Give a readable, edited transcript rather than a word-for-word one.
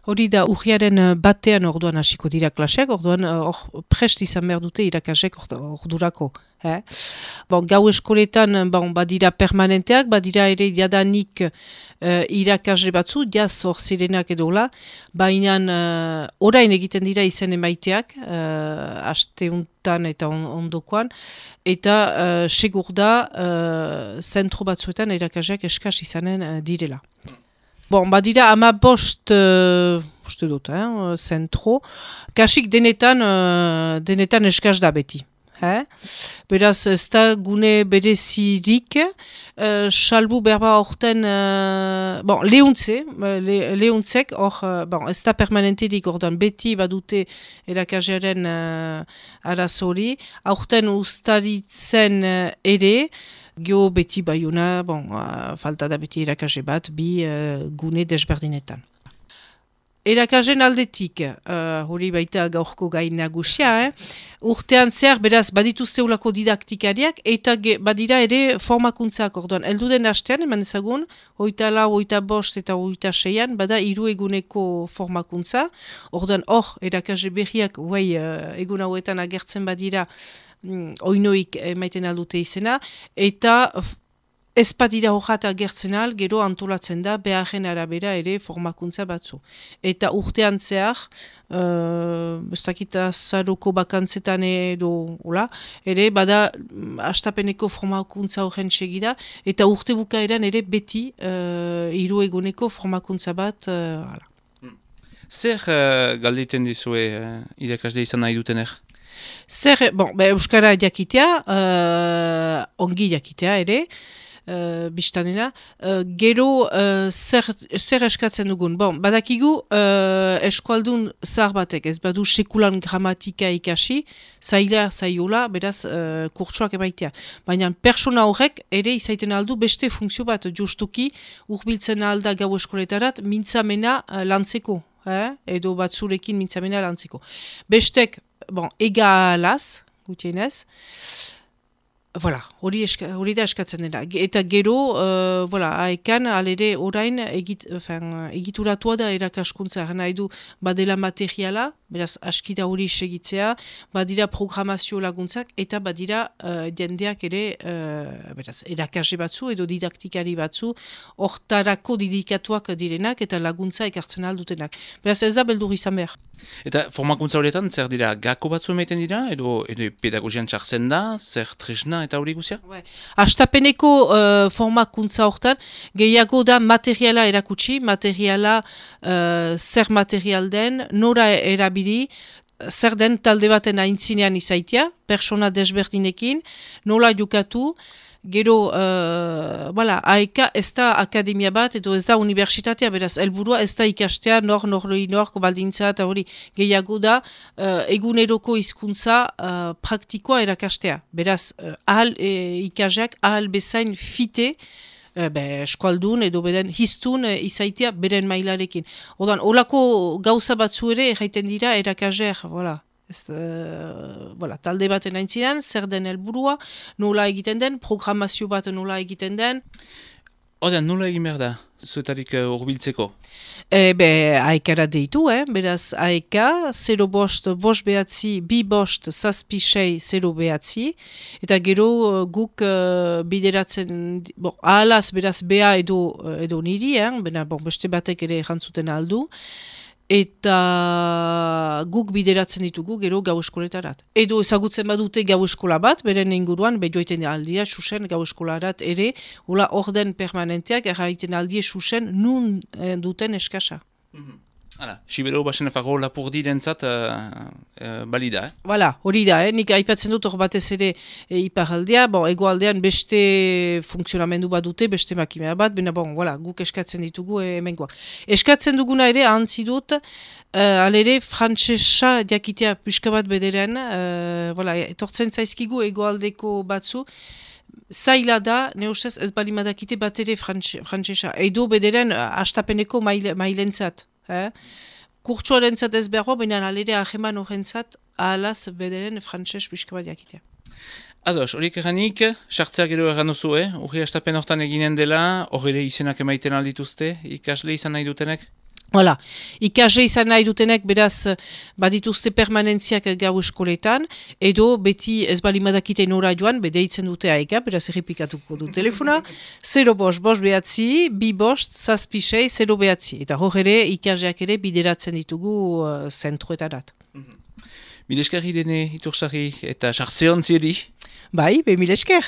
Hori da, urriaren batean orduan hasiko dira klaseak, orduan hor prest izan behar dute irakasek ordurako. Bon, gau eskoletan badira permanenteak, badira ere jadanik irakasle batzu, jaz hor zirenak edola, baina orain egiten dira izen emaiteak, asteuntan eta ondokoan, eta segur da zentro batzuetan irakasleak eskas izanen direla. Bon, badira 15 uste dut, zentro. Kasik denetan eskaz da beti. Beraz, ez da gune berezirik, salbu berba horten, lehuntzek, ez da permanenterik ordan beti badute erakaslearen arazori, horten ustaritzen ere, Gio beti baiuna, falta da beti erakasle bat, bi gune desberdinetan. Erakasleen aldetik, hori baita gaurko gai nagusia, urtean zehar, beraz, badituzte ulako didaktikariak, eta badira ere formakuntzak orduan. Elduden hastean, eman ezagun, 24, 25 eta 26an, bada 3 eguneko formakuntza. Orduan, erakasle berriak, egun hauetan agertzen badira, oinoik maiten aldute izena, eta ez badira horrat agertzen al, gero antolatzen da, beharren arabera ere formakuntza batzu. Eta urtean zehar, ez dakita zaroko bakantzetan edo, ere, bada astapeneko formakuntza horren segida, eta urte bukaeran ere beti 3 eguneko formakuntza bat, Zer galdeiten dizue irakasle izan nahi dutener? Zer, euskara jakitea, ongi jakitea ere, biztanena, gero zer eskatzen dugun. Badakigu eskualdun zahar batek, ez badu sekulan gramatika ikasi, zaiola, beraz kurtsoak emaitea. Baina persona horrek ere izaiten aldu beste funkzio bat, justuki urbiltzen alda gau eskoletarat mintzamena lantzeko, edo batzurekin mintzamena lantzeko. Bestek, egalaz, gutienez, hori da eskatzen dena. Eta gero, haekan, alere orain egituratua da erakaskuntza, nahi du badela materiala, beraz askida hori segitzea, badira programazio laguntzak, eta badira jendeak ere, beraz, erakasle batzu edo didaktikari batzu, hortarako didikatuak direnak eta laguntza ekartzen aldutenak. Beraz ez da beldur izan behar. Eta formakuntza horietan, zer dira, gako batzu emaiten dira, edo pedagogian txartzen da, zer tresna eta hori guzia? Astapeneko formakuntza hortan, gehiago da materiala erakutsi, materiala zer material den, nora erabili, zer den talde baten aintzinean izaitia, persona desberdinekin, nola jukatu, gero, aeka ez da akademia bat, edo ez da universitatea, beraz, helburua ez da ikastea, nor baldintza eta hori gehiago da, eguneroko hizkuntza praktikoa erakastea. Beraz, ikasleak ahal bezain fite, eskualdun edo beden hiztun izaitia beren mailarekin. Odan, olako gauza batzu ere erraiten dira erakasleak, talde baten aintzinan, zer den helburua, nola egiten den, programazio bat nola egiten den. Nola egin behar da, zuetarik urbiltzeko? Aekara deitu, beraz aeka, 0 bost, bost behatzi, 2 bost, zazpi sei, 0 behatzi, eta gero guk bideratzen, ahalaz beraz bea edo niri, beste batek ere jantzuten aldu, eta guk bideratzen ditugu gero gau eskoletarat. Edo ezagutzen badute gau eskola bat, beren inguruan, joiten aldira, susen gau eskolarat ere, hola orden permanenteak, erraiten aldie susen nun duten eskasa. Sibero basen fago lapurdi dentzat balida, hori da, nik aipatzen dut hor batez ere iparaldea, egoaldean beste funksionamendu bat dute, beste makimea bat, guk eskatzen ditugu hemengoak. Eskatzen duguna ere, ahantzi dut, alere frantsesa diakitea pixka bat bederen, etortzen zaizkigu egoaldeko batzu, zaila da, ne ustez ez balimadakite bat ere frantsesa, edo bederen astapeneko mailentzat. Kurtsuarentzat ez behar, baina alere aheman horrentzat ahalaz bederen frantses pixka bat jakitea. Ados, horiek eranik, sartzea gero eran duzu, urri astapen hortan eginen dela, hor ere izenak emaiten aldituzte, ikasle izan nahi dutenek? Hala, ikasle izan nahi dutenek beraz badituzte permanentziak gau eskoletan, edo beti ez balimadakite nora joan, deitzen dute aega, beraz errepikatuko du telefona, 0 bost, bost behatzi, 2 bost, zazpi sei, 0 behatzi. Eta hor ere, ikasleak ere bideratzen ditugu zentruetarat. Mil esker Irene Itursarri eta sartze hon ziedi. Bai, mil esker.